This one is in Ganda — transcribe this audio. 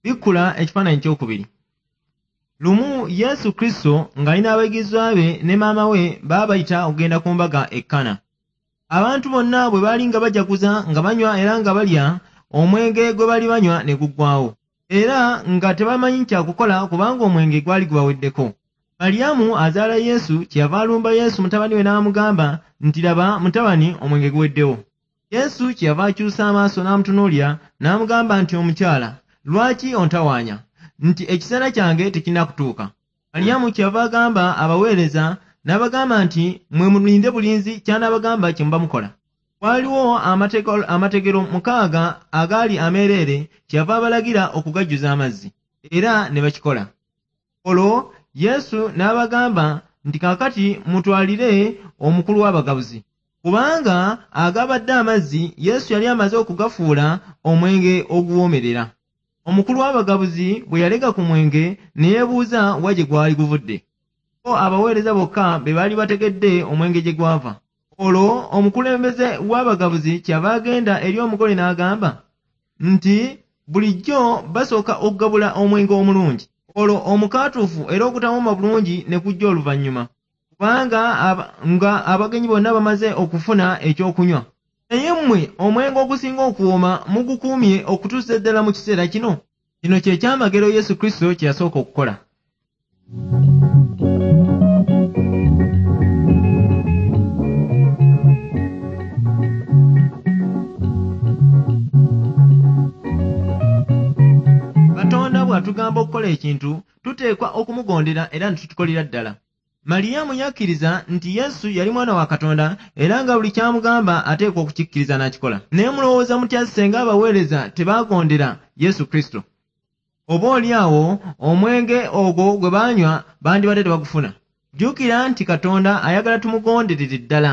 Bikkula ekifaananyi kyokubiri. Lumu Yesu Kristo ng'alina abayigirizwa be ne maama we baabayita okugenda ku mbaga e Kana. Abantu bonna bwe baali nga bajaguza nga banywa era nga balya, omwenge gwe baali banywa ne guggwaawo. Era nga tebamanyi kya kukola kubanga omwenge gwali gubaweddeko. Maliyamu azaala Yesu kyeyava alumba Yesu mutabani we n'amugamba nti, Laba mutabani, omwenge guweddewo. Yesu kyeyava akyusa amaaso n'amutunuulira n'amugamba nti, Omukyala, lwaki ontawaanya? Nti ekiseera kyange tekinnakutuuka. Maliyamu kyeyava agamba abaweereza n'abagamba nti, Mmwe mulinde bulinzi ky'anaabagamba kye muba mukola. Waaliwo amategero 6 agaali ameereere, kyeyava abalagira okugajjuza amazzi, era ne bakikola. Olwo Yesu n'abagamba nti, Kaakati mutwalire omukulu w'abagabuzi. Kubanga agabadde amazzi Yesu yali amaze okugafuula omwenge oguwoomerera. Omukulu w'abagabuzi bwe yalega ku mwenge ne yeebuuza wa gye gwali guvudde. Bo abaweereza bokka be baali bategedde omwenge gye gwava. Olwo omukulembeze w'abagabuzi kyava agenda eri omugole n'agamba nti, Bulijjo basooka okugabula omwenge omulungi, olwo omukaatuufu era ogutawooma bulungi ne gujja oluvannyuma, kubanga nga abagenyi bonna bamaze okufuna ekyokunywa. Naye mmwe omwenge ogusinga okuwooma mugukuumye okutuusa ddala mu kiseera kino. Kino kye kyamagero Yesu Kristo kye yasooka okukola. Katonda bw'atugamba okukola ekintu, tuteekwa okumugondera era ne tukikolera ddala. Maliyamu yakkiriza nti Yesu yali mwana wa Katonda era nga buli ky'amugamba ateekwa okukikkiriza n'akikola. Naye mulowooza mutya singa abaweereza tebaagondera Yesu Kristo? Oboolyawo omwenge ogwo gwe baanywa bandibadde tebagufuna. Jjukira nti Katonda ayagala tumugonderere ddala.